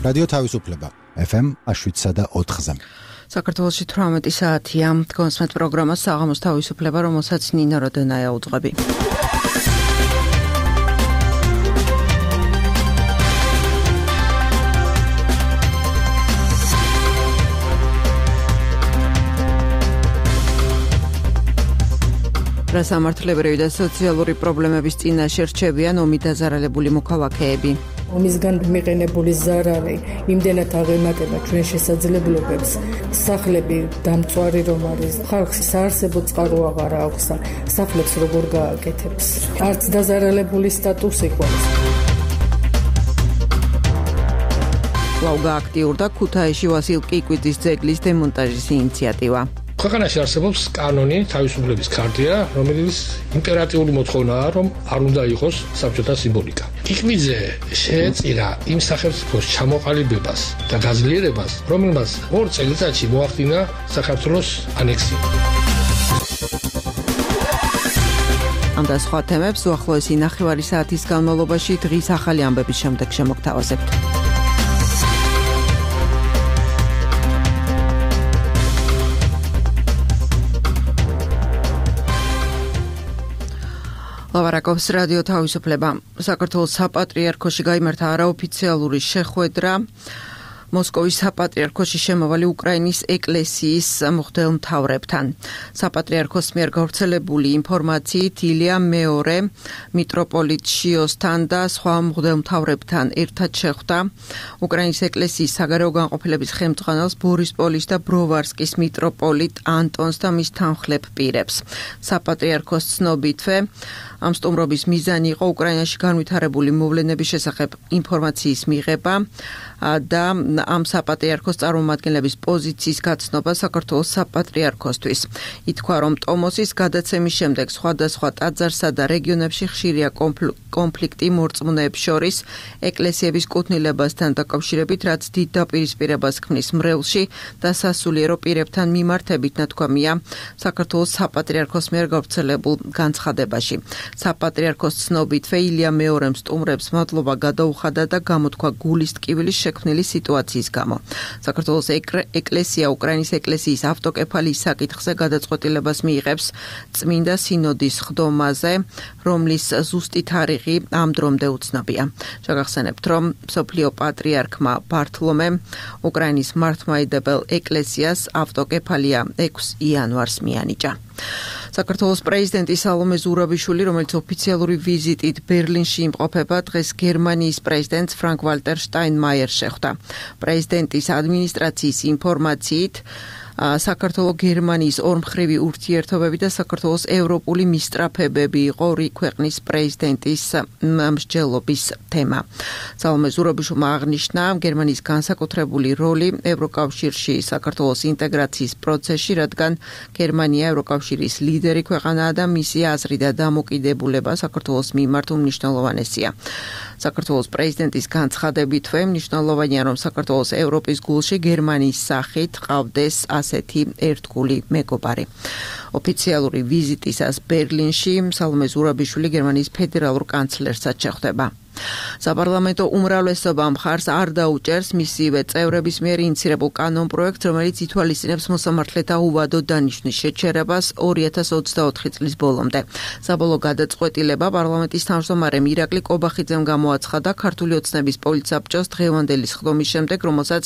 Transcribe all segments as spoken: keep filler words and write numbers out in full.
რადიო თავისუფლება ეფ ემ შვიდსა და ოთხზე. საქართველოში თვრამეტი საათია. გონსმეთ პროგრამას საღამოს თავისუფლება, რომელსაც ნინა როდენაია უძღვები. რასამართლებრივი და სოციალური პრობლემების წინაშე რჩებიან ომით დაზარალებული მოქალაქეები. ომისგან მიყენებული ზარალი იმდენად აღემატება ჩვენ შესაძლებლობებს, სახლები დამწვარი რომ არის, ხალხს საარსებო წყარო აღარ აქვს, სახლებს როგორ გააკეთებს. არც დაზარალებული სტატუსი გვაქვს. კვლავ გააქტიურდა ქუთაისში ვასილ კიკვიძის ძეგლის დემონტაჟის ინიციატივა. ქვეყანაში არსებობს კანონი, თავისუფლების ქარტია, რომელიც იმპერატიული მოთხოვნაა, რომ არ უნდა იყოს საბჭოთა სიმბოლიკა. კიკვიძე შეეწირა იმ სახელმწიფოს ჩამოყალიბებას და გაძლიერებას, რომელმაც ორ წელიწადში მოახდინა საქართველოს ანექსია. ამ და სხვა თემებს უახლოესი ნახევარი საათის განმავლობაში დღის ახალი ამბების შემდეგ შემოგთავაზებთ. ლავარაკობს რადიო თავისუფლება. საქართველოს საპატრიარქოში გაიმართა არაოფიციალური შეხვედრა. მოსკოვის საპატრიარქოში შემავალი უკრაინის ეკლესიის მღვდელმთავრებთან. საპატრიარქოს მიერ გავრცელებული ინფორმაციით ილია მეორე მიტროპოლიტ შიოსთან და სხვა მღვდელმთავრებთან ერთად შეხვდა უკრაინის ეკლესიის საგარეო განყოფილების ხელმძღვანელს ბორისპოლის და ბროვარსკის მიტროპოლიტ ანტონს და მის თანხლებ პირებს. საპატრიარქოს ცნობითვე ამ სტუმრობის მიზანი იყო უკრაინაში განვითარებული მოვლენების შესახებ ინფორმაციის მიღება და ამ საპატრიარქოს წარმომადგენლების პოზიციის გაცნობა საქართველოს საპატრიარქოსთვის. ითქვა, რომ ტომოსის გადაცემის შემდეგ სხვადასხვა ტაძარსა და რეგიონებში ხშირია კონფლიქტი მორწმუნეებს შორის ეკლესიების კუთვნილებასთან დაკავშირებით, რაც დიდ დაპირისპირებას ქმნის მრევლში და სასულიერო პირებთან მიმართებით, ნათქვამია საქართველოს საპატრიარქოს მიერ გავრცელებულ განცხადებაში. საპატრიარქოს ცნობითვე ილია მეორემ სტუმრებს მადლობა გადაუხადა და გამოთქვა გულის ტკივილის შექმნილი სიტუაციის გამო. საქართველოს ეკლესია უკრაინის ეკლესიის ავტოკეფალიის საკითხზე გადაწყვეტილებას მიიღებს წმინდა სინოდის ხდომაზე, რომლის ზუსტი თარიღი ამ დრომდე უცნობია. შეგახსენებთ, რომ მსოფლიო პატრიარქმა ბართლომემ უკრაინის მართლმადიდებელ ეკლესიას ავტოკეფალია ექვსი იანვარს მიანიჭა. საქართველოს პრეზიდენტი სალომე ზურაბიშვილი, რომელიც ოფიციალური ვიზიტით ბერლინში იმყოფება, დღეს გერმანიის პრეზიდენტს ფრანკ ვალტერ შტაინმაიერს შეხვდა. პრეზიდენტის ადმინისტრაციის ინფორმაციით საქართველოს გერმანიის ორმხრივი ურთიერთობები და საქართველოს ევროპული მისწრაფებები იყო ორი ქვეყნის პრეზიდენტის მსჯელობის თემა. სალომე ზურაბიშვილმა აღნიშნა გერმანიის განსაკუთრებული როლი ევროკავშირში საქართველოს ინტეგრაციის პროცესში, რადგან გერმანია ევროკავშირის ლიდერი ქვეყანაა და მისი აზრი და დამოკიდებულება საქართველოს მიმართ უმნიშვნელოვანესია. საქართველოს პრეზიდენტის განცხადებითვე მნიშვნელოვანია, რომ საქართველოს ევროპის გულში გერმანიის სახით ყავდეს ასეთი ერთგული მეგობარი. ოფიციალური ვიზიტისას ბერლინში სალომე ზურაბიშვილი გერმანიის ფედერალურ კანცლერსაც შეხვდება. საპარლამენტო უმრავლესობა მხარს არ დაუჭერს მისივე წევრების მიერ ინიცირებულ კანონპროექტს, რომელიც ითვალისწინებს მოსამართლეთა უვადო დანიშვნის შეჩერებას ორი ათას ოცდაოთხი წლის ბოლომდე. საბოლოო გადაწყვეტილება პარლამენტის თავმჯდომარემ ირაკლი კობახიძემ გამოაცხადა ქართული ოცნების პოლიტსაბჭოს დღევანდელი სხდომის შემდეგ, რომელსაც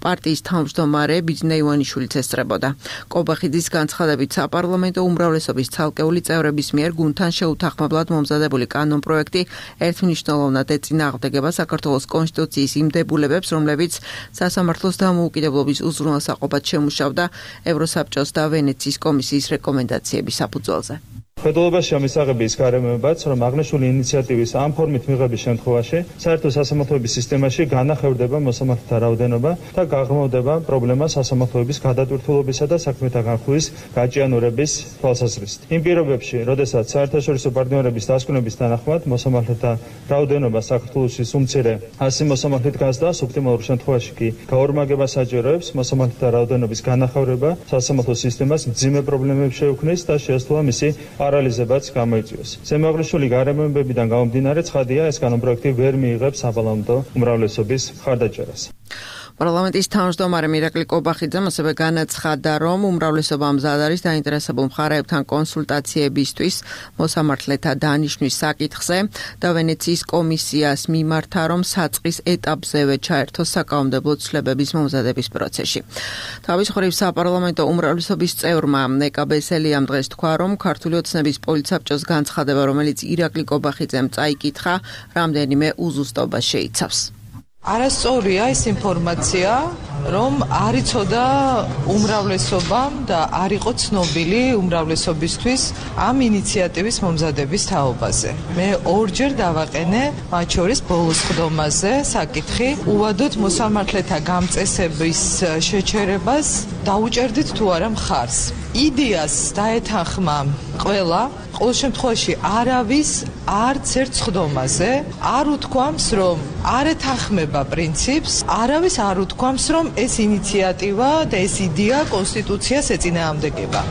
პარტიის თავმჯდომარე ბიძინა ივანიშვილიც ესწრებოდა. კობახიძის განცხადებით საპარლამენტო უმრავლესობის ცალკეული წევრების მიერ გუნდთან შეუთანხმებლად მომზადებული კანონპროექტი ერთმნიშვნელოვნად ეწინააღმდეგება საქართველოს კონსტიტუციის იმ დებულებებს, რომლებიც სასამართლოს დამოუკიდებლობის უზრუნველსაყოფად შემუშავდა ევროსაბჭოს და ვენეციის კომისიის რეკომენდაციების საფუძველზე. Ფედერალობაში ამისაღების გარემოებაც, რომ აღნიშნული ინიციატივის ამ ფორმით მიღების შემთხვევაში საერთო სასამართლოების სისტემაში განახევრდება მოსამართლეთა რაოდენობა და გაღრმავდება პრობლემა სასამართლოების გადატვირთულობისა და საქმეთა განხილვის გაჭიანურების თვალსაზრისით. იმ პირობებში, როდესაც საერთაშორისო პარტნიორების დასკვნების თანახმად მოსამართლეთა რაოდენობა საქართველოში უმცირე ასი მოსამართლით გასდა, ოპტიმალურ შემთხვევაში კი გაორმაგება საჭიროებს მოსამართლეთა რაოდენობის განახევრება სასამართლო სისტემას მძიმე პრობლემებს შეუქმნის და შეესწავლა მისი პარალიზებაც გამოიწვიოს. ზემოაღნიშნული გარემოებებიდან გამომდინარე ცხადია, ეს კანონპროექტი ვერ მიიღებს საპარლამენტო უმრავლესობის მხარდაჭერას. პარლამენტის თავმჯდომარე მირაკლი კობახიძემ ასევე განაცხადა, რომ უმრავლესობა მზად არის დაინტერესებულ მხარეებთან კონსულტაციებისთვის მოსამართლეთა დანიშვნის საკითხზე და ვენეციის კომისიას მიმართა, რომ საწყის ეტაპზევე ჩაერთოს საკანონმდებლო ცვლილებების მომზადების პროცესში. თავის მხრივ საპარლამენტო უმრავლესობის წევრმა ნეკა ბესელიამ დღეს თქვა, რომ ქართული ოცნების პოლიტსაბჭოს განცხადება, რომელიც ირაკლი კობახიძემ წაიკითხა, რამდენიმე უზუსტობა შეიცავს. არასწორია ის ინფორმაცია, რომ არ იცოდა უმრავლესობამ და არ იყო ცნობილი უმრავლესობისთვის ამ ინიციატივის მომზადების თაობაზე. მე ორჯერ დავაყენე, მათ შორის ბოლოს ხდომაზე საკითხი, უვადოთ მოსამართლეთა გამწესების შეჩერებას დაუჭერდით თუ არა მხარს. იდეას დაეთანხმა ყველა, ყოველ შემთხვევაში არავის არც ერთ ხდომაზე არ უთქვამს, რომ არ ეთანხმება პრინციპს, არავის არ უთქვამს, რომ ეს ინიციატივა და ეს იდეა კონსტიტუციას ეწინააღმდეგება.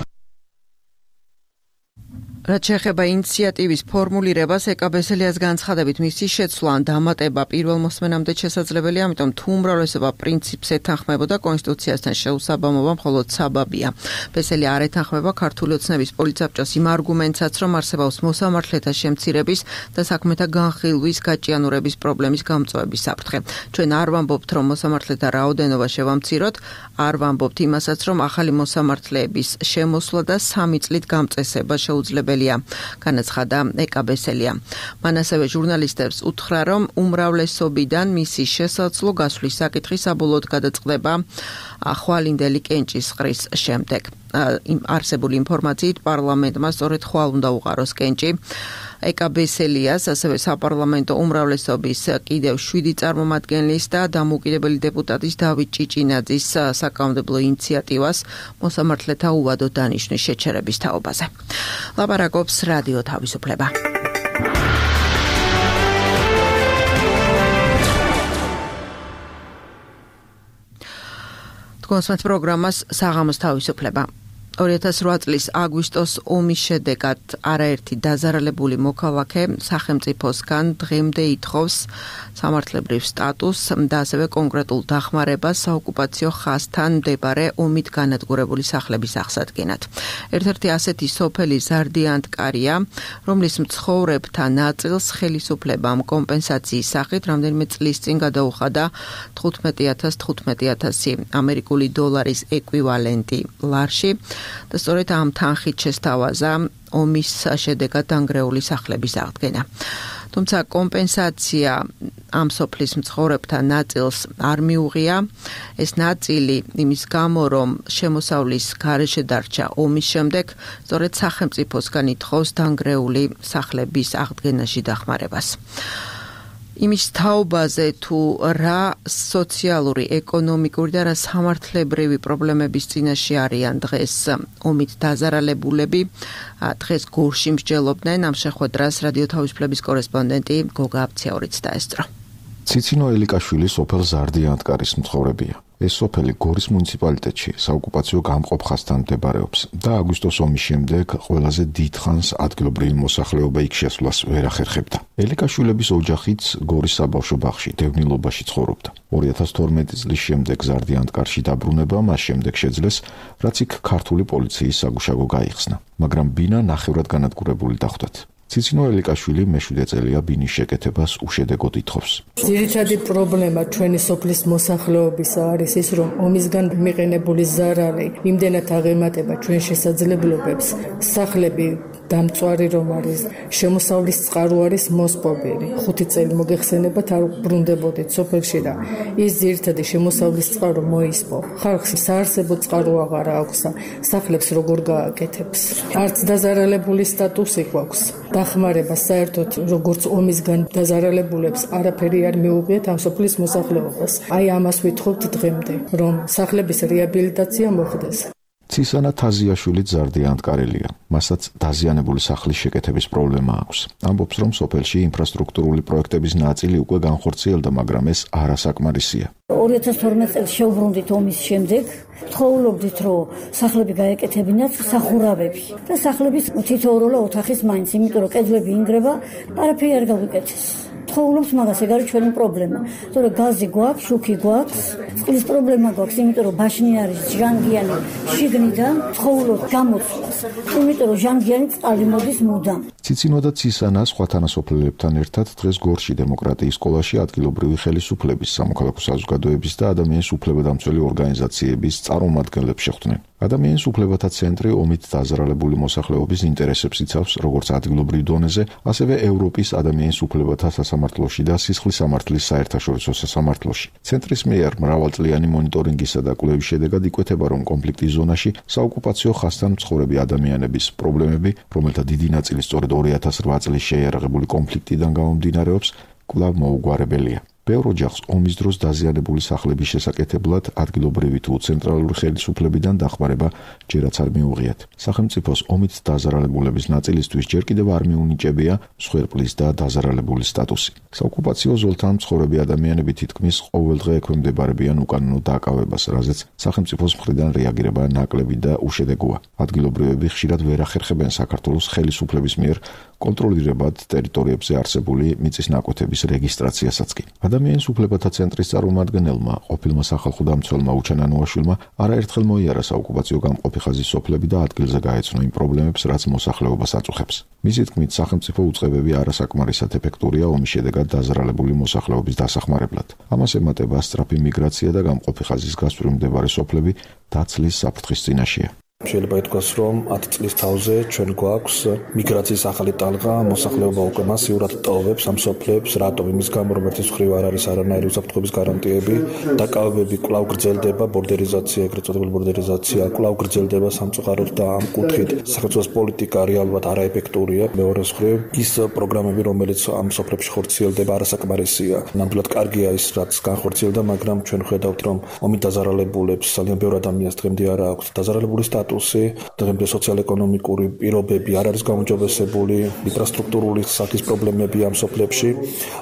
რაც შეეხება ინიციატივის ფორმულირებას, ეკა ბესელიას განცხადებით მისი შეცვლა ან დამატება პირველ მოსმენამდე შესაძლებელია, ამიტომ თუ უმრავლესობა პრინციპს ეთანხმებოდა კონსტიტუციასთან შეუსაბამობა მხოლოდ საბაბია. ბესელი არ ეთანხმება ქართული ოცნების პოლიტსაბჭოს იმ არგუმენტსაც, რომ არსებობს მოსამართლეთა შემცირების და საქმეთა განხილვის გაჭიანურების პრობლემის გამწვევების საფრთხე. ჩვენ არ ვამბობთ, რომ მოსამართლეთა რაოდენობა შევამციროთ, არ ვამბობთ იმასაც, რომ ახალი მოსამართლეების შემოსვლა და სამი წლით გამწესება შეუძლებელია. განაცხადა ეკა ბესელია. მან ასევე ჟურნალისტებს უთხრა, რომ უმრავლესობიდან მისი შესაძლო გასვლის საკითხი საბოლოოდ გადაწყდება ხვალინდელი კენჭის ყრის შემდეგ. იმ არსებული ინფორმაციით პარლამენტმა სწორედ ხვალ უნდა უყაროს კენჭი. ეკა ბესელიას, ასევე საპარლამენტო უმრავლესობის კიდევ შვიდი წარმომადგენლის და დამოუკიდებელი დეპუტატის დავით ჭიჭინაძის საკანონმდებლო ინიციატივას მოსამართლეთა უვადო დანიშვნის შეჩერების თაობაზე. ლაპარაკობს რადიო თავისუფლება. თქვენს პროგრამას საღამოს თავისუფლება. ორი ათას რვა წლის აგვისტოს ომის შედეგად არაერთი დაზარალებული მოქალაქე სახელმწიფოსგან დღემდე ითხოვს სამართლებრივ სტატუსს და ასევე კონკრეტულ დახმარებას საოკუპაციო ხაზთან მდებარე ომით განადგურებული სახლების აღსადგენად. ერთ-ერთი ასეთი სოფელი ზარდიანტკარია, რომლის მცხოვრებთა ნაწილს ხელისუფლებამ კომპენსაციის სახით რამდენიმე წლის წინ გადაუხადა თხუთმეტი ათას თხუთმეტი ათასი ამერიკული დოლარის ეკვივალენტი ლარში. და სწორედ ამ თანხით შესთავაზა ომის შედეგად დანგრეული სახლების აღდგენა. თუმცა კომპენსაცია ამ სოფლის მცხოვრებთა ნაწილს არ მიუღია. ეს ნაწილი იმის გამო, რომ შემოსავლის გარეშე დარჩა ომის შემდეგ, სწორედ სახელმწიფოსგან ითხოვს დანგრეული სახლების აღდგენაში დახმარებას. იმის თაობაზე თუ რა სოციალური, ეკონომიკური და რა სამართლებრივი პრობლემების წინაშე არიან დღეს ომით დაზარალებულები, დღეს გორში მსჯელობდნენ. ამ შეხვედრას რადიო თავისუფლების კორესპონდენტი გოგა აბციაურიც დაესწრო. ციცინო ელიკაშვილი სოფელ ზარდიანტკარის მცხოვრებია. ეს სოფელი გორის მუნიციპალიტეტში საოკუპაციო გამყოფ ხაზთან მდებარეობს და აგვისტოს ომის შემდეგ ყველაზე დიდხანს ადგილობრივი მოსახლეობა იქ შესვლას ვერ ახერხებდა. ელიკაშვილების ოჯახიც გორის საბავშვო ბაღში დევნილობაში ცხოვრობდა. ორი ათას თორმეტი წლის შემდეგ ზარდიანტკარში დაბრუნება მას შემდეგ შეძლეს, რაც იქ ქართული პოლიციის საგუშაგო გაიხსნა, მაგრამ ბინა ნახევრად განადგურებული დახვდათ. ციცინო ელიკაშვილი მეშვიდე წელია ბინის შეკეთებას უშედეგოდ ითხოვს. ძირითადი პრობლემა ჩვენი სოფლის მოსახლეობისა არის ის, რომ ომისგან მიყენებული ზარალი იმდენად აღემატება ჩვენ შესაძლებლობებს, სახლები დამწვარი რომ არის, შემოსავლის წყარო არის მოსპობილი. ხუთი წელი მოგეხსენებათ არ ბრუნდებოდით სოფელში და ის ძირითადი შემოსავლის წყარო მოისპო. ხალხს საარსებო წყარო აღარ აქვს და სახლებს როგორ გააკეთებს. არც დაზარალებული სტატუსი გვაქვს. დახმარება საერთოდ როგორც ომისგან დაზარალებულებს არაფერი არ მიუღიათ ამ სოფლის მოსახლეობას. აი ამას ვითხოვთ დღემდე, რომ სახლების რეაბილიტაცია მოხდეს. ცისანა თაზიაშვილიც ზარდიანტკარელია. მასაც დაზიანებული სახლის შეკეთების პრობლემა აქვს. ამბობს, რომ სოფელში ინფრასტრუქტურული პროექტების ნაწილი უკვე განხორციელდა, მაგრამ ეს არასაკმარისია. ორი ათას თორმეტ წელს შევბრუნდით ომის შემდეგ, ვთხოვლობდით, რომ სახლები გაეკეთებინათ სახურავები და სახლების თითოეულ ოთახის მაინც, იმიტომ რომ კედლები ინგრება, არაფერი არ გავიკეთეს. ვთხოვლობთ მაგას, ეგ არის ჩვენი პრობლემა. თორე გაზი გვაქვს, შუქი გვაქვს, წყლის პრობლემა გვაქვს, იმიტომ რომ ბაშნი არის ჟანგიანი შიგნიდან, ვთხოვლობთ გამოცვლას, იმიტომ რომ ჟანგიანი წყალი მოდის მუდამ. ციცინო და ცისანა სხვა თანასოფლელებთან ერთად დღეს გორში დემოკრატიის სკოლაში ადგილობრივი ხელისუფლების, სამოქალაქო საზოგადოების და ადამიანის უფლებადამცველი ორგანიზაციების წარმომადგენლებს შეხვდნენ. ადამიანის უფლებათა ცენტრი ომით დაზარალებული მოსახლეობის ინტერესებს იცავს როგორც ადგილობრივ დონეზე, ასევე ევროპის ადამიანის უფლებათა სასამართლოში და სისხლის სამართლის საერთაშორისო სასამართლოში. ცენტრის მიერ მრავალწლიანი მონიტორინგისა და კვლევის შედეგად იკვეთება, რომ კონფლიქტის ზონაში საოკუპაციო ხაზთან მცხოვრები ადამიანების პრობლემები, რომელთა დიდი ნაწილი სწორედ ორი ათას რვა წლის შეიარაღებული კონფლიქტიდან გამომდინარეობს, კვლავ მოუგვარებელია. ბევრ ოჯახს ომის დროს დაზიანებული სახლების შესაკეთებლად ადგილობრივი თუ ცენტრალური ხელისუფლებიდან დახმარება ჯერაც არ მიუღიათ. სახელმწიფოს ომით დაზარალებულების ნაწილისთვის ჯერ კიდევ არ მიუნიჭებია მსხვერპლის და დაზარალებული სტატუსი. საოკუპაციო ზოლთან მცხოვრები ადამიანები თითქმის ყოველდღე ექვემდებარებიან უკანონო დაკავებას, რაზეც სახელმწიფოს მხრიდან რეაგირება ნაკლები და უშედეგოა. ადგილობრივები ხშირად ვერ ახერხებენ საქართველოს ხელისუფლების მიერ კონტროლირებად ტერიტორიებზე არსებული მიწის ნაკვეთების რეგისტრაციასაც კი. ადამიანის უფლებათა ცენტრის წარმომადგენელმა, ყოფილმა სახალხო დამცველმა უჩან ანუაშვილმა არაერთხელ მოიარა საოკუპაციო გამყოფი ხაზის სოფლები და ადგილზე გაეცნო იმ პრობლემებს, რაც მოსახლეობას აწუხებს. მისი თქმით, სახელმწიფო უწყებები არასაკმარისად ეფექტურია ომის შედეგად დაზარალებული მოსახლეობის დასახმარებლად. ამას ემატება სწრაფი მიგრაცია და გამყოფი ხაზის გასწვრივ მდებარე სოფლები დაცლის საფრთხის წინაშეა. შეიძლება ითქვას, რომ ათი წლის თავზე ჩვენ გვაქვს მიგრაციის ახალი ტალღა, მოსახლეობა უკვე მასიურად ტოვებს ამ სოფლებს, რატომ? იმის გამო, რომ ერთის მხრივ არ არის არანაირი უსაფრთხოების გარანტიები, დაკავებები კვლავ გრძელდება, ბორდერიზაცია, ეგრეთ წოდებული ბორდერიზაცია კვლავ გრძელდება სამწუხაროდ და ამ კუთხით სახელმწიფოს პოლიტიკა რეალურად არაეფექტურია. მეორე მხრივ, ის პროგრამები, რომელიც ამ სოფლებში ხორციელდება, არასაკმარისია. ნამდვილად კარგია ის, რაც განხორციელდა, მაგრამ ჩვენ ხედავთ, რომ ომით დაზარალებულებს ძალიან ბევრ ადამიანს დღემდე არ აქვს დაზარალებული სტატუსი. დღემდე სოციალ-ეკონომიკური პირობები არ არის გაუმჯობესებული, ინფრასტრუქტურული სახის პრობლემები ამ სოფლებში,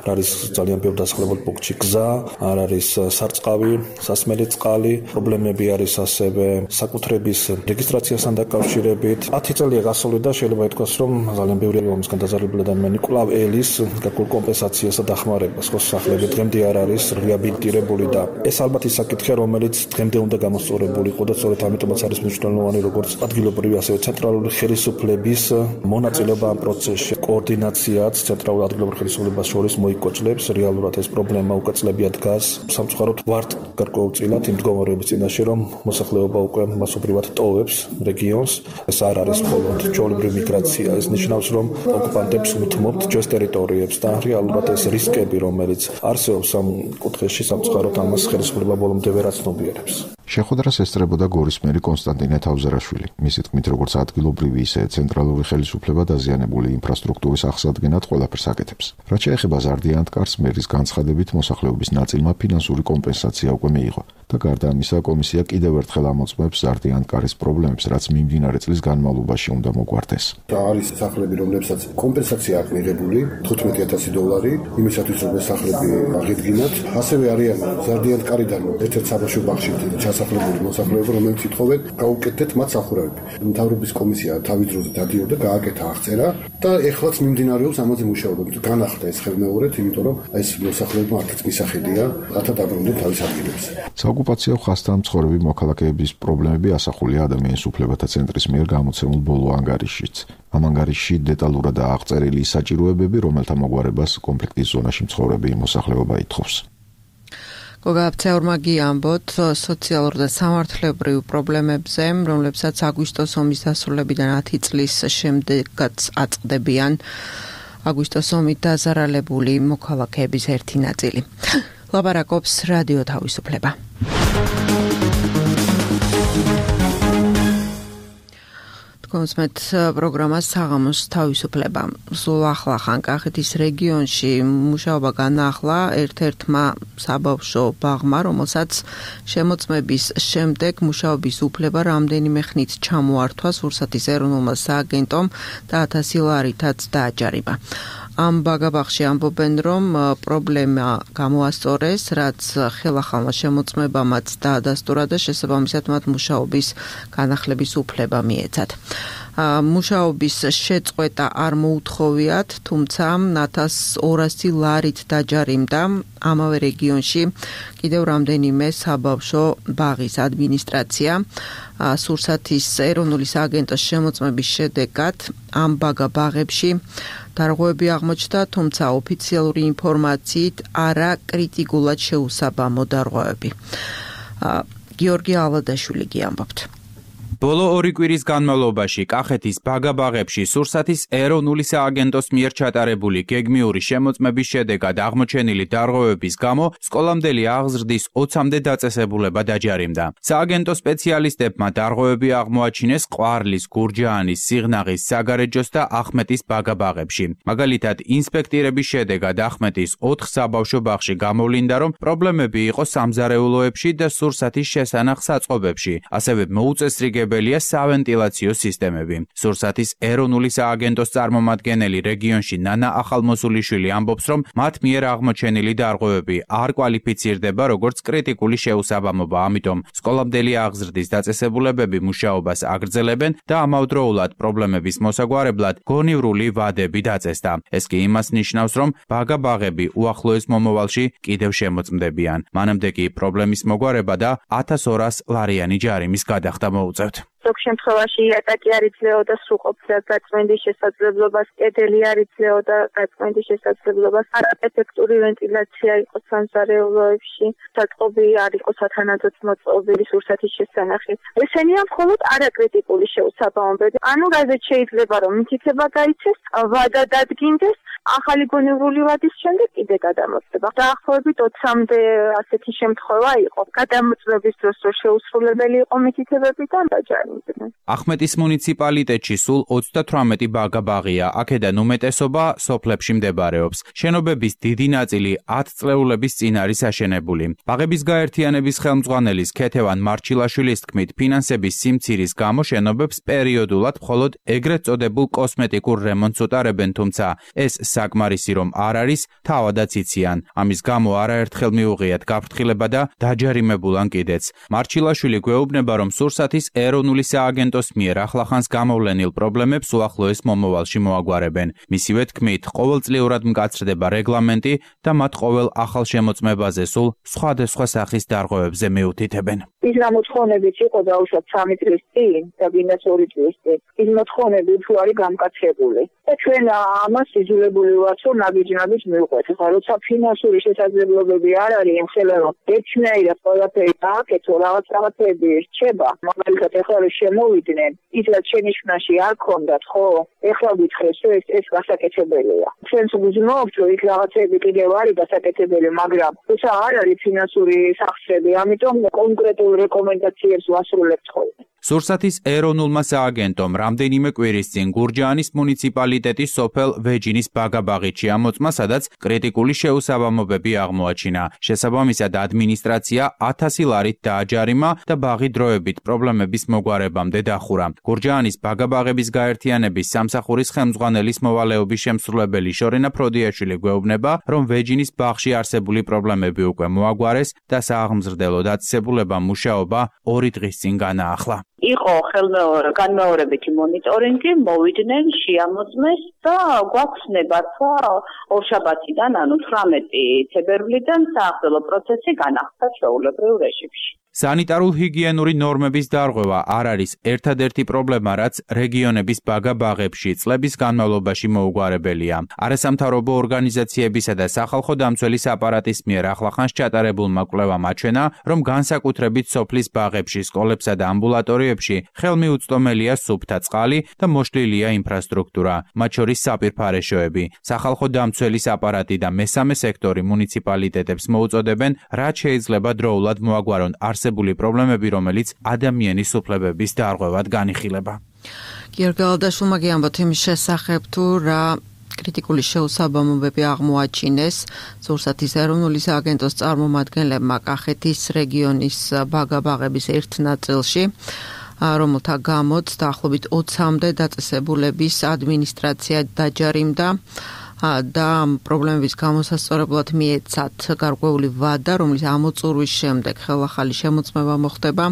არ არის ძალიან ბევრი დასახლებულ პუნქტში გზა, არ არის სარწყავი, სასმელი წყალი, პრობლემები არის ასევე საკუთრების რეგისტრაციასთან დაკავშირებით. ათი წელია გასული და შეიძლება ითქვას, რომ ძალიან ბევრი ომისგან დაზარალებული ადამიანი კვლავ ელის გარკვეულ კომპენსაციას და დახმარებას, ხო სახლები დღემდე არ არის რეაბილიტირებული და ეს ალბათ ის საკითხია, რომელიც დღემდე უნდა გამოსწორებული იყო და სწორედ ამიტომაც არის მნიშვნელოვანი როგორც ადგილობრივი ასევე ცენტრალური ხელისუფლების მონაწილეობა ამ პროცესში. კოორდინაციაც ცენტრალურ ადგილობრივ ხელისუფლებას შორის მოიკოჭლებს, რეალურად ეს პრობლემა უკვე წლებია დგას. სამწუხაროდ ვართ გარკვეულწილად იმ მდგომარეობის წინაშე, რომ მოსახლეობა უკვე მასობრივად ტოვებს რეგიონს. ეს არ არის მხოლოდ ჩვეულებრივი მიგრაცია, ეს ნიშნავს, რომ ოკუპანტებს უთმობთ ჩვენს ტერიტორიებს და რეალურად ეს რისკები, რომელიც არსებობს ამ კუთხეში, სამწუხაროდ ამას ხელისუფლება ბოლომდე ვერ აცნობიერებს. შეხვედრას ესწრებოდა გორის მერი კონსტანტინე თავზერაშვილი. მისი თქმით, როგორც ადგილობრივი, ისე ცენტრალური ხელისუფლება დაზიანებული ინფრასტრუქტურის აღსადგენად ყველაფერს აკეთებს. რაც შეეხება ზარდიანტკარს, მერის განცხადებით, მოსახლეობის ნაწილმა ფინანსური კომპენსაცია უკვე მიიღო და გარდა ამისა, კომისია კიდევ ერთხელ ამოწმებს ზარდიანტკარის პრობლემებს, რაც მიმდინარე წლის განმავლობაში უნდა მოგვარდეს. არის სახლები, რომლებსაც კომპენსაცია აქვს მიღებული თხუთმეტი ათასი დოლარი, იმისათვის რომ ეს სახლები აღედგინათ. ასევე არიან ზარდიანტკარიდან ერთ-ერთ საბავშვო ბაღში დასახლებული მოსახლეობა, რომელიც ითხოვენ გაუკეთეთ მათ სახურავები. მთავრობის კომისია თავის დროზე დადიოდა, გააკეთა აღწერა და ეხლაც მიმდინარეობს ამაზე მუშაობა. განახდა ეს ხელმეორედ, იმიტომ რომ ეს მოსახლეობა არც მისახედია, რათა დაბრუნდნენ თავის ადგილებზე. საოკუპაციო ხაზთან მცხოვრები მოქალაქეების პრობლემები ასახულია ადამიანის უფლებათა ცენტრის მიერ გამოცემულ ბოლო ანგარიშშიც. ამ ანგარიშში დეტალურადაა აღწერილი საჭიროებები, რომელთა მოგვარებას კონფლიქტის ზონაში მცხოვრები მოსახლეობა ითხოვს. გოგაბცეურმა გიამბოთ სოციალურ და სამართლებრივ პრობლემებზე, რომლებსაც აგვისტოს ომის დასრულებიდან ათი წლის შემდეგაც აწყდებიან აგვისტოს ომით დაზარალებული მოქალაქეების ერთი ნაწილი. ლაპარაკობს რადიო თავისუფლება. თქვენსმეთ პროგრამას საღამოს თავისუფლება. სულ ახლახან კახეთის რეგიონში მუშაობა განაახლა ერთ-ერთმა საბავშვო ბაღმა, რომელსაც შემოწმების შემდეგ მუშაობის უფლება რამდენიმე ხნით ჩამოართვა სურსათის ეროვნულმა სააგენტომ და ათასი ლარითაც დააჯარიმა. ამ ბაგაბაღში ამბობენ, რომ პრობლემა გამოასწორეს, რაც ხელახალმა შემოწმებამაც დაადასტურა და შესაბამისად მათ მუშაობის განახლების უფლება მიეცათ. მუშაობის შეწყვეტა არ მოუთხოვიათ, თუმცა ათას ორასი ლარით დაჯარიმდა ამავე რეგიონში კიდევ რამდენიმე საბავშვო ბაღის ადმინისტრაცია. სურსათის ეროვნული სააგენტოს შემოწმების შედეგად ამ ბაგაბაღებში დარღვევები აღმოჩნდა, თუმცა ოფიციალური ინფორმაციით არა კრიტიკულად შეუსაბამო დარღვევები. გიორგი ალადაშვილი გიამბობთ. ბოლო ორი კვირის განმავლობაში კახეთის ბაგაბაღებში სურსათის ეროვნული სააგენტოს მიერ ჩატარებული გეგმიური შემოწმების შედეგად აღმოჩენილი დარღვევების გამო სკოლამდელი აღზრდის ოცამდე დაწესებულება დაჯარიმდა. სააგენტოს სპეციალისტებმა დარღვევები აღმოაჩინეს ყვარლის, გურჯაანის, სიღნაღის, საგარეჯოს და ახმეტის ბაგაბაღებში. მაგალითად, ინსპექტირების შედეგად ახმეტის ოთხ საბავშვო ბაღში გამოვლინდა, რომ პრობლემები იყო სამზარეულოებში და სურსათის შესანახ საწყობებში, ასევე მოუწესრიგებელია სავენტილაციო სისტემები. სურსათის ეროვნული სააგენტოს წარმომადგენელი რეგიონში ნანა ახალმოსულიშვილი ამბობს, რომ მათ მიერ აღმოჩენილი დარღვევები არ კვალიფიცირდება როგორც კრიტიკული შეუსაბამობა, ამიტომ სკოლამდელი აღზრდის დაწესებულებები მუშაობას აგრძელებენ და ამავდროულად პრობლემების მოსაგვარებლად გონივრული ვადები დაწესდა. ეს კი იმას ნიშნავს, რომ ბაგაბაღები უახლოეს მომავალში კიდევ შემოწმდებიან. მანამდე კი პრობლემის მოგვარება და ათას ორას ლარიანი ჯარიმის გადახდა მოუწევთ. ზოგ შემთხვევაში იატაკი არ იძლეოდა სრულყოფდა გაწმენდის შესაძლებლობას, კედელი არ იძლეოდა გაწმენდის შესაძლებლობას, არაეფექტური ვენტილაცია იყო სამზარეულოებში, საწყობი არ იყო სათანადოდ მოწყობილი სურსათის შესანახით. ესენია მხოლოდ არაკრიტიკული შეუსაბამობები. ანუ რაზეც შეიძლება რომ მითითება გაიცეს, ვადა დადგინდეს, ახალი გონივრული ვადის შემდეგ კიდე გადამოწდება. დაახლოებით ოცამდე ასეთი შემთხვევა იყო. გადამოწმების დროს რო შეუსრულებელი იყო მითითებები და დაჯარიმდნენ. ახმეტის მუნიციპალიტეტში სულ ოცდათვრამეტი ბაგაბაღია, აქედან უმეტესობა სოფლებში მდებარეობს. შენობების დიდი ნაწილი ათწლეულების წინ არის აშენებული. ბაღების გაერთიანების ხელმძღვანელის ქეთევან მარჩილაშვილის თქმით, ფინანსების სიმცირის გამო შენობებს პერიოდულად მხოლოდ ეგრეთ წოდებულ კოსმეტიკურ რემონტს უტარებენ, თუმცა ეს საკმარისი რომ არ არის, თავადაც იციან. ამის გამო არაერთხელ მიუღიათ გაფრთხილება და დაჯარიმებულან კიდეც. მარჩილაშვილი გვეუბნება, რომ სურსათის ეროვნული სააგენტოს მიერ ახლახანს გამოვლენილ პრობლემებს უახლოეს მომავალში მოაგვარებენ. მისივე თქმით, ყოველწლიურად მკაცრდება რეგლამენტი და მათ ყოველ ახალ შემოწმებაზე სულ სხვადასხვა სახის დარღვევებზე მიუთითებენ. ის გამოცხონებიც იყო დაუშვათ სამი წლის წინ და ვინაც ორი წლის წინ. ის მოთხოვნები უფრო არის გამკაცრებული. და ჩვენ ამას იძულებული ვართ, რომ ნაბიჯნაბის მივყვეთ. ხა როცა ფინანსური შესაძლებლობები არ არის, ეხლა რომ ერთნაირად ყველაფერი გააკეთო, რაღაც რაღაცები რჩება. მაგალითად, ეხლა რომ შემოვიდნენ, ის რაც შენიშვნაში არ ქონდათ, ხო? ეხლა გითხრეს, რომ ეს ეს გასაკეთებელია. ჩვენს გუზმობთ, რომ იქ რაღაცები კიდევ არის გასაკეთებელი, მაგრამ თუმცა არ არის ფინანსური სახსრები, ამიტომ კონკრეტულ რეკომენდაციებს ვასრულებთ ხოლმე. სურსათის ეროვნულმა სააგენტომ რამდენიმე კვირის წინ გურჯაანის მუნიციპალიტეტის სოფელ ვეჯინის ბაგაბაღით ამოწმა, სადაც კრიტიკული შეუსაბამობები აღმოაჩინა. შესაბამისად, ადმინისტრაცია ათასი ლარით დააჯარიმა და ბაღი დროებით პრობლემების მოგვარებამდე დახურა. გურჯაანის ბაგაბაღების გაერთიანების სამსახურის ხელმძღვანელის მოვალეობის შემსრულებელი შორენა ფროდიაშვილი გვეუბნება, რომ ვეჯინის ბაღში არსებული პრობლემები უკვე მოაგვარეს და სააღმზრდელო დაწესებულება მუშაობა ორი დღის წინ განაახლა. იყო ხელმეორე განმეორებითი მონიტორინგი, მოვიდნენ, შეამოწმეს და გვაქვს ნებართვა ორშაბათიდან, ანუ თვრამეტი თებერვლიდან საახდელო პროცესი განახდა ჩვეულებრივ რეჟიმში. სანიტარულ-ჰიგიენური ნორმების დარღვევა არ არის ერთადერთი პრობლემა, რაც რეგიონების ბაგაბაღებში წლების განმავლობაში მოუგვარებელია. არასამთავრობო ორგანიზაციებისა და სახალხო დამცველის აპარატის მიერ ახლახანს ჩატარებულმა კვლევამ აჩვენა, რომ განსაკუთრებით სოფლის ბაღებში, სკოლებსა და ამბულატორიებში ხელმიუწვდომელია სუფთა წყალი და მოშლილია ინფრასტრუქტურა, მათ შორის საპირფარეშოები. სახალხო დამცველის აპარატი და მესამე სექტორი მუნიციპალიტეტებს მოუწოდებენ, რაც შეიძლება დროულად მოაგვარონ არსებული პრობლემები, რომელიც ადამიანის უფლებების დარღვევად განიხილება. გიორგალადაშვილმა გიამბოთ იმის შესახებ თუ რა კრიტიკული შეუსაბამობები აღმოაჩინეს ზურსათის ეროვნული სააგენტოს წარმომადგენლებმა კახეთის რეგიონის ბაგაბაღების ერთ ნაწილში, რომელთა გამოც დაახლოებით ოცამდე დაწესებულების ადმინისტრაცია დაჯარიმდა და ამ პრობლემების გამოსასწორებლად მიეცათ გარკვეული ვადა, რომლის ამოწურვის შემდეგ ხელახალი შემოწმება მოხდება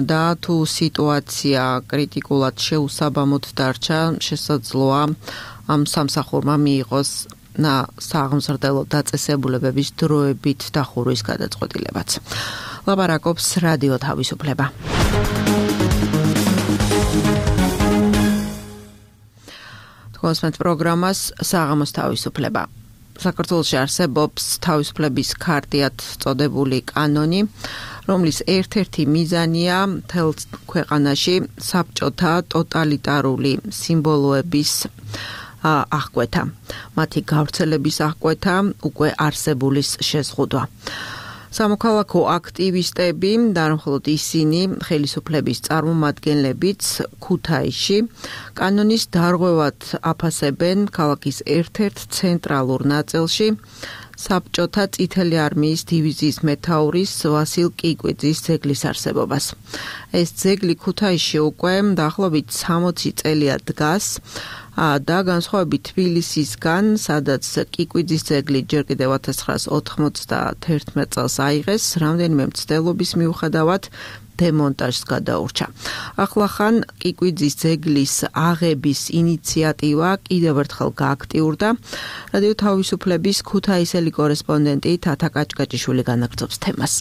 და თუ სიტუაცია კრიტიკულად შეუსაბამოდ დარჩა, შესაძლოა ამ სამსახურმა მიიღოს საღმრთელო დაწესებულებების დროებით დახურვის გადაწყვეტილებაც. ლაპარაკობს რადიო თავისუფლება. თქვენს პროგრამას საღამოს თავისუფლება. საქართველოში არსებობს თავისუფლების ქარტიად წოდებული კანონი, რომლის ერთ-ერთი მიზანია მთელ ქვეყანაში საბჭოთა ტოტალიტარული სიმბოლოების აღკვეთა, მათი გავრცელების აღკვეთა, უკვე არსებულის შეზღუდვა. სამოქალაქო აქტივისტები და მხოლოდ ისინი, ხელისუფლების წარმომადგენლებიც ქუთაისში კანონის დარღვევად აფასებენ ქალაქის ერთ-ერთ ცენტრალურ ნაწილში საბჭოთა წითელი არმიის დივიზიის მეთაურის ვასილ კიკვიძის ძეგლის არსებობას. ეს ძეგლი ქუთაისში უკვე დაახლოებით სამოცი წელია დგას და განსხვავებით თბილისისგან, სადაც კიკვიძის ძეგლი ჯერ კიდევ ათას ცხრაას ოთხმოცდაათერთმეტ წელს აიღეს, რამდენიმე მცდელობის მიუხედავად დემონტაჟს გადაურჩა. ახლახან კიკვიძის ძეგლის აღების ინიციატივა კიდევ ერთხელ გააქტიურდა. რადიო თავისუფლების ქუთაისელი კორესპონდენტი თათა კაჭკაჭიშვილი განაგრძობს თემას.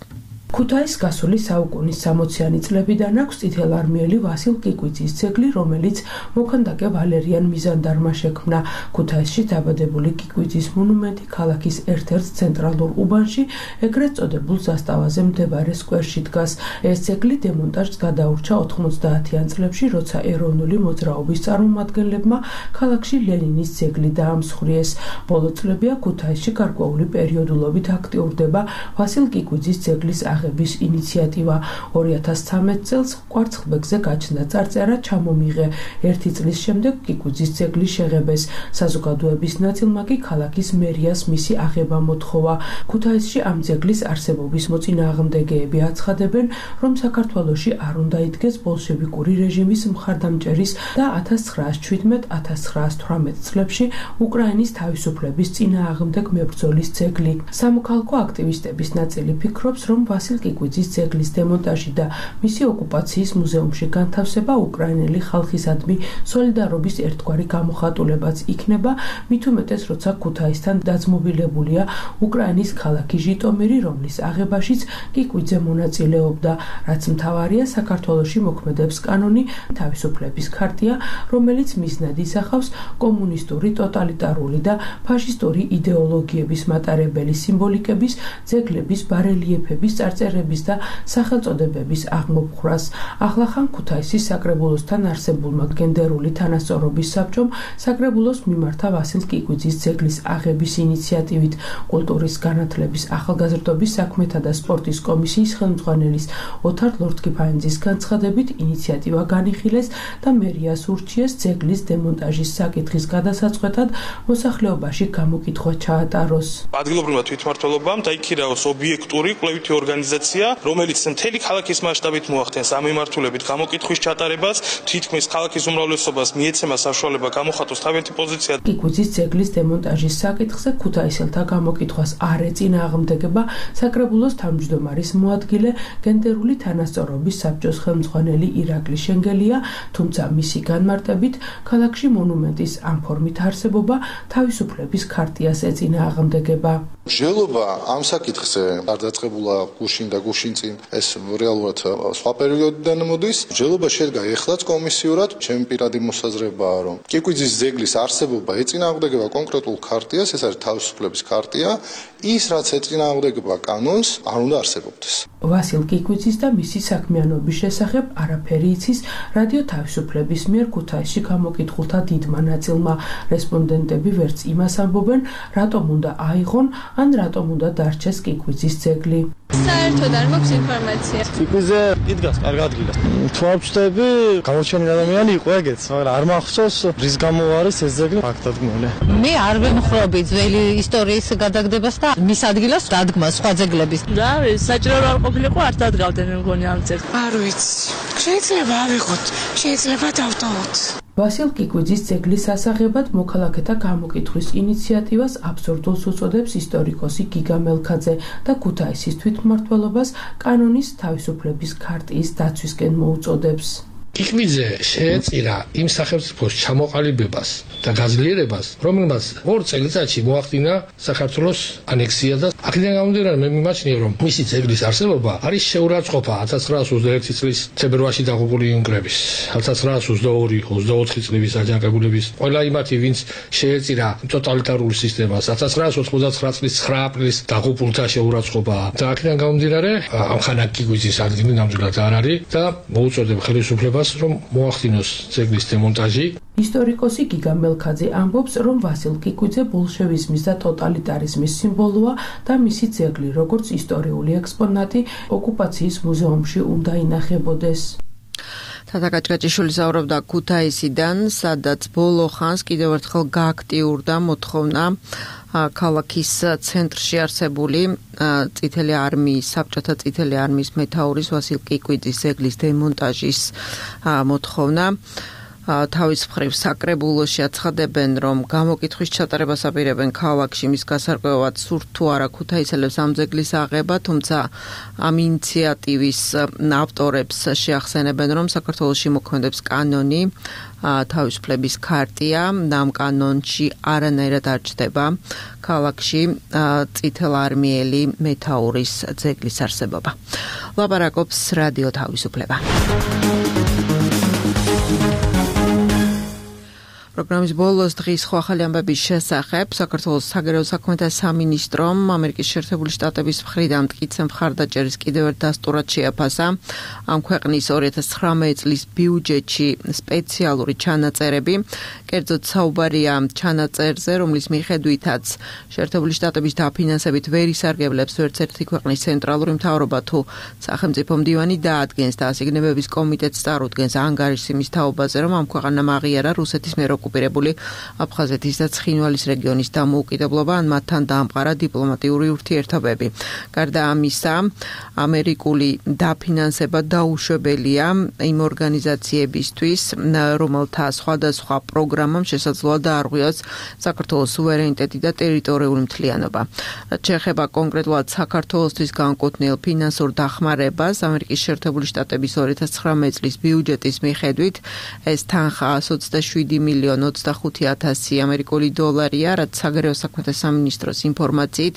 ქუთაისს გასული საუკუნის სამოციანი წლებიდან აქვს წითელარმიელი ვასილ კიკვიძის ძეგლი, რომელიც მოქანდაკე ვალერიან მიზანდარმა შექმნა. ქუთაისში დაბადებული კიკვიძის მონუმენტი ქალაქის ერთ-ერთ ცენტრალურ უბანში, ეგრეთ წოდებულ ზასტავაზე მდებარე სკვერში დგას. ეს ძეგლი დემონტაჟს გადაურჩა ოთხმოცდაათიან წლებში, როცა ეროვნული მოძრაობის წარმომადგენლებმა ქალაქში ლენინის ძეგლი დაამსხვრიეს. ბოლო წლებია ქუთაისში გარკვეული პერიოდულობით აქტიურდება ვასილ კიკვიძის ძეგლის აღების ინიციატივა. ორი ათას ცხრამეტ წელს კვარცხლბეკზე გაჩნდა წარწერა ჩამომიღე. ერთი წლის შემდეგ კიკვიძის ძეგლის შეღებეს. საზოგადოების ნაწილმა კი ქალაქის მერიას მისი აღება მოთხოვა. ქუთაისში ამ ძეგლის არსებობის მოწინააღმდეგეები აცხადებენ, რომ საქართველოში არ უნდა იდგეს ბოლშევიკური რეჟიმის მხარდამჭერის და ათას ცხრაას შვიდმეტ - ათას ცხრაას თვრამეტ წლებში უკრაინის თავისუფლების წინააღმდეგ მებრძოლის ძეგლი. სამოქალაქო აქტივისტების ნაწილი ფიქრობს, რომ ვასილ კიკვიძის ძეგლის დემონტაჟი და მისი ოკუპაციის მუზეუმში განთავსება უკრაინელი ხალხისადმი სოლიდარობის ერთგვარი გამოხატულებაც იქნება, მით უმეტეს, როცა ქუთაისთან დაძმობილებულია უკრაინის ქალაქი ჟიტომირი, რომლის აღებაშიც კიკვიძე მონაწილეობდა. რაც მთავარია, საქართველოში მოქმედებს კანონი თავისუფლების ქარტია, რომელიც მიზნად ისახავს კომუნისტური, ტოტალიტარული და ფაშისტური იდეოლოგიების მატარებელი სიმბოლიკების, ძეგლების, ბარელიეფების, წარწერების და სახელწოდებების აღმოფხვრას. ახლახან ქუთაისის საკრებულოსთან არსებულმა გენდერული თანასწორობის საბჭომ საკრებულოს მიმართა ვასილ კიკვიძის ძეგლის აღების ინიციატივით. კულტურის განათლების, ახალგაზრდობის საქმეთა და სპორტის კომისიის ხელმძღვანელის ოთარ ლორთქიფანიძის განცხადებით ინიციატივა განიხილეს და მერიას ურჩიეს ძეგლის დემონტაჟის საკითხის გადასაწყვეტად მოსახლეობაში გამოკითხვა ჩაატაროს. ადგილობრივმა თვითმმართველობამ დაიქირაოს ობიექტური კვლევითი ორგანიზაცია, რომელიც მთელი ქალაქის მასშტაბით მოახდენს ამ მიმართულებით გამოკითხვის ჩატარებას, თითქმის ქალაქის უმრავლესობას მიეცემა საშუალება გამოხატოს თავიანთი პოზიცია. კიკვიძის ძეგლის დემონტაჟის საკითხზე ქუთაისელთა გამოკითხვას არ ეწინააღმდეგება საკრებულოს თავმჯდომარის მოადგილე, გენდერული თანასწორობის საბჭოს ხელმძღვანელი ირაკლი შენგელია, თუმცა მისი განმარტებით ქალაქში მონუმენტის ამ ფორმით არსებობა თავისუფლების ქარტიას ეწინააღმდეგება. მსჯელობა ამ საკითხზე არ დაწყებულა გუშინ და გუშინ წინ, ეს რეალურად სხვა პერიოდიდან მოდის. მსჯელობა შედგა ეხლაც კომისიურად. ჩემი პირადი მოსაზრებაა, რომ კიკვიძის ძეგლის არსებობა ეწინააღმდეგება კონკრეტულ ქარტიას, ეს არის თავისუფლების ქარტია, ის რაც ეწინააღმდეგება კანონს, არ უნდა არსებობდეს. ვასილ კიკვიძის და მისი საქმიანობის შესახებ არაფერი იცის რადიო თავისუფლების მიერ ქუთაისში გამოკითხულთა დიდმა ნაწილმა. რესპონდენტები ვერც იმას ამბობენ, რატომ უნდა აიღონ ან რატომ უნდა დარჩეს კიკვიძის ძეგლი. საერთოდ არ მაქვს ინფორმაცია. ტიპიზე იდგას კარგ ადგილას. თუ არ ვწდები, გამოჩენილი ადამიანი იყო ეგეც, მაგრამ არ მახსოვს რის გამო არის ეს ძეგლი ფაქტადგმული. მე არ ვემხრობი ძველი ისტორიის გადაგდებას და მის ადგილას დადგმას სხვა ძეგლების. და საჭირო არ ყოფილიყო არ დადგავდნენ მე მგონი ამ ძეგლს. არ ვიცი. შეიძლება ავიღოთ, შეიძლება დავტოვოთ. ვასილ კიკვიძის ძეგლის ასაღებად მოქალაქეთა გამოკითხვის ინიციატივას აბსურდულს უწოდებს ისტორიკოსი გიგა მელქაძე და ქუთაისის თვითმმართველობას კანონის თავისუფლების ქარტიის დაცვისკენ მოუწოდებს. კიკვიძე შეეწირა იმ სახელმწიფოს ჩამოყალიბებას და გაძლიერებას, რომელმაც ორ წელიწადში მოახდინა საქართველოს ანექსია და აქედან გამომდინარე მე მიმაჩნია, რომ მისი ძეგლის არსებობა არის შეურაცხყოფა ათას ცხრაას ოცდაერთი წლის თებერვალში დაღუპული უნგრების, ათას ცხრაას ოცდაორი ოცდაოთხი წლების აჯანყებულების, ყველა იმათი, ვინც შეეწირა ტოტალიტარულ სისტემას, ათას ცხრაას ოცდაოთხი წლის ცხრა აპრილის დაღუპულთა შეურაცხყოფა და აქედან გამომდინარე ამ ხანა კიკვიძის ადგილი ნამდვილად არ არის და მოუწოდებ ხელისუფლებას რომ მოახდინოს ძეგლის დემონტაჟი. ისტორიკოსი გიგა მელქაძე ამბობს, რომ ვასილ კიკვიძე ბოლშევიზმის და ტოტალიტარიზმის სიმბოლოა და მისი ძეგლი, როგორც ისტორიული ექსპონატი, ოკუპაციის მუზეუმში უნდა ინახებოდეს. თათა კაჭკაჭიშვილი საუბრობდა ქუთაისიდან, სადაც ბოლო ხანს კიდევ ერთხელ გააქტიურდა მოთხოვნა ქალაქის ცენტრში არსებული წითელი არმიის, საბჭოთა წითელი არმიის მეთაურის ვასილ კიკვიძის ძეგლის დემონტაჟის მოთხოვნა. თავის მხრივ საკრებულოში აცხადებენ, რომ გამოკითხვის ჩატარებას აპირებენ ქალაქში, მის გასარკვევად სურთ თუ არა ქუთაისელებს ამ ძეგლის აღება, თუმცა ამ ინიციატივის ავტორებს შეახსენებენ, რომ საქართველოში მოქმედებს კანონი, თავისუფლების ქარტია, ამ კანონში არანაირად არ ჩნდება ქალაქში წითელარმიელი მეთაურის ძეგლის არსებობა. ლაპარაკობს რადიო თავისუფლება. პროგრამის ბოლოს დღის ხო ახალი ამბების შესახებ საქართველოს საგარეო საქმეთა სამინისტრომ ამერიკის შეერთებული შტატების მხრიდან მტკიცე მხარდაჭერის კიდევ ერთ დასტურად შეაფასა ამ ქვეყნის ორი ათას ცხრამეტი წლის ბიუჯეტში სპეციალური ჩანაწერები. კერძოდ საუბარია ჩანაწერზე, რომლის მიხედვითაც შეერთებული შტატების დაფინანსებით ვერ ისარგებლებს ვერც ერთი ქვეყნის ცენტრალური მთავრობა თუ სახელმწიფო მდივანი დაადგენს და ასიგნებების კომიტეტს წარუდგენს ანგარიშის თაობაზე, რომ ამ ქვეყანამ აღიარა რუსეთის მიერ ოკუპირებული აფხაზეთის და ცხინვალის რეგიონის დამოუკიდებლობა, ან მათთან დაამყარა დიპლომატიური ურთიერთობები. გარდა ამისა, ამერიკული დაფინანსება დაუშვებელია იმ ორგანიზაციებისთვის, რომელთა სხვადასხვა პროგრამამ შესაძლოა დაარღვიოს საქართველოს სუვერენიტეტი და ტერიტორიული მთლიანობა. შეეხება კონკრეტულად საქართველოსთვის განკუთვნილ ფინანსურ დახმარებას, ამერიკის შეერთებული შტატების ორი ათას ცხრამეტი წლის ბიუჯეტის მიხედვით ეს თანხა ოცდაშვიდი მილიონი ოცდახუთი ათასი ამერიკული დოლარია, რაც საგარეო საქმეთა სამინისტროს ინფორმაციით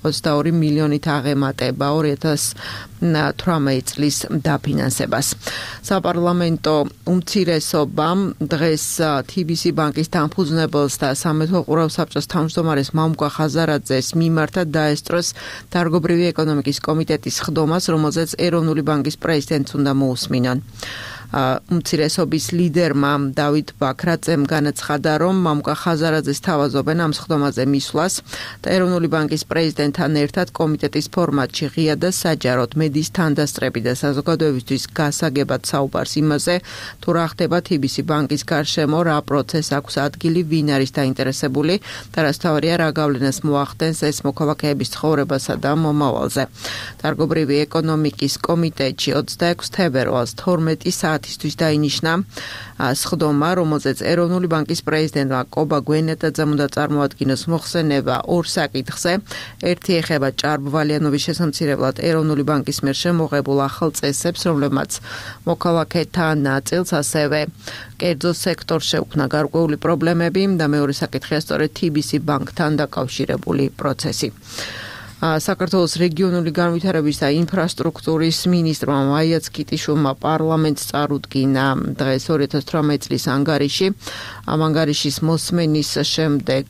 ოცდაორი მილიონით აღემატება ორი ათას თვრამეტი წლის დაფინანსებას. საპარლამენტო უმცირესობამ დღეს თი ბი სი ბანკის დამფუძნებელს და სამეფო ყურავ საბჭოს თავმჯდომარეს მამუკა ხაზარაძეს მიმართა დაესწროს დარგობრივი ეკონომიკის კომიტეტის ხდომას, რომელზეც ეროვნული ბანკის პრეზიდენტს უნდა მოусმინონ. უმცირესობის ლიდერმა დავით ბაქრაძემ განაცხადა, რომ მამუკა ხაზარაძეს თავაზობენ ამ სხდომაზე მისვლას და ეროვნული ბანკის პრეზიდენტთან ერთად კომიტეტის ფორმატში ღია და საჯაროდ მედიის თანდასწრები და საზოგადოებისთვის გასაგებად საუბარს იმაზე, თუ რა ხდება თი ბი სი ბანკის გარშემო, რა პროცესს აქვს ადგილი, ვინ არის დაინტერესებული და რაც თავარია რა გავლენას მოახდენს ეს მოქალაქეების ცხოვრებასა და მომავალზე. დარგობრივი ეკონომიკის კომიტეტში ოცდაექვსი თებერვალს თორმეტი საათისთვის დაინიშნა სხდომა, რომელზეც ეროვნული ბანკის პრეზიდენტმა კობა გვენეტაძემ უნდა წარმოადგინოს მოხსენება ორ საკითხზე. ერთი ეხება ჭარბვალიანობის შესამცირებლად ეროვნული ბანკის მიერ შემოღებულ ახალ წესებს, რომლებმაც მოქალაქეთა ნაწილს ასევე კერძო სექტორს შეუქმნა გარკვეული პრობლემები და მეორე საკითხია სწორედ თი ბი სი ბანკთან დაკავშირებული პროცესი. საქართველოს რეგიონული განვითარების და ინფრასტრუქტურის მინისტრმა მაია ცკიტიშვილმა პარლამენტს წარუდგინა დღეს ორი ათას თვრამეტი წლის ანგარიში. ამ ანგარიშის მოსმენის შემდეგ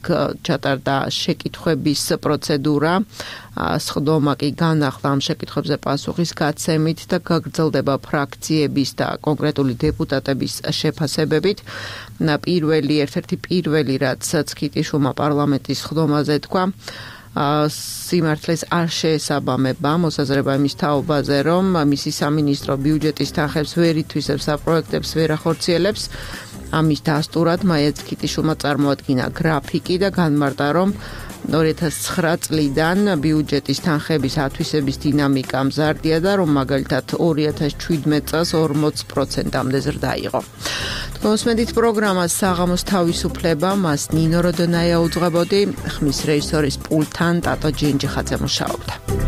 ჩატარდა შეკითხვების პროცედურა. სხდომა კი განახლა ამ შეკითხვებზე პასუხის გაცემით და გაგრძელდება ფრაქციების და კონკრეტული დეპუტატების შეფასებებით. პირველი, ერთ-ერთი პირველი, რაც ცკიტიშვილმა პარლამენტის სხდომაზე თქვა, სიმართლეს არ შეესაბამება მოსაზრება იმის თაობაზე, რომ მისი სამინისტრო ბიუჯეტის თანხებს ვერ ითვისებს და პროექტებს ვერ ახორციელებს. ამის დასტურად მაია ცქიტიშვილმა წარმოადგინა გრაფიკი და განმარტა, რომ ორი ათას ცხრა წლიდან ბიუჯეტის თანხების ათვისების დინამიკა მზარდია და რომ მაგალითად ორი ათას შვიდმეტ წელს ორმოც პროცენტამდე ზრდა იყო. თქმით, პროგრამას საღამოს თავისუფლება მას ნინო როდონაია უძღვებოდი, ხმის რეჟისორის პულტთან ტატო ჯენჯიხაძე მუშაობდა.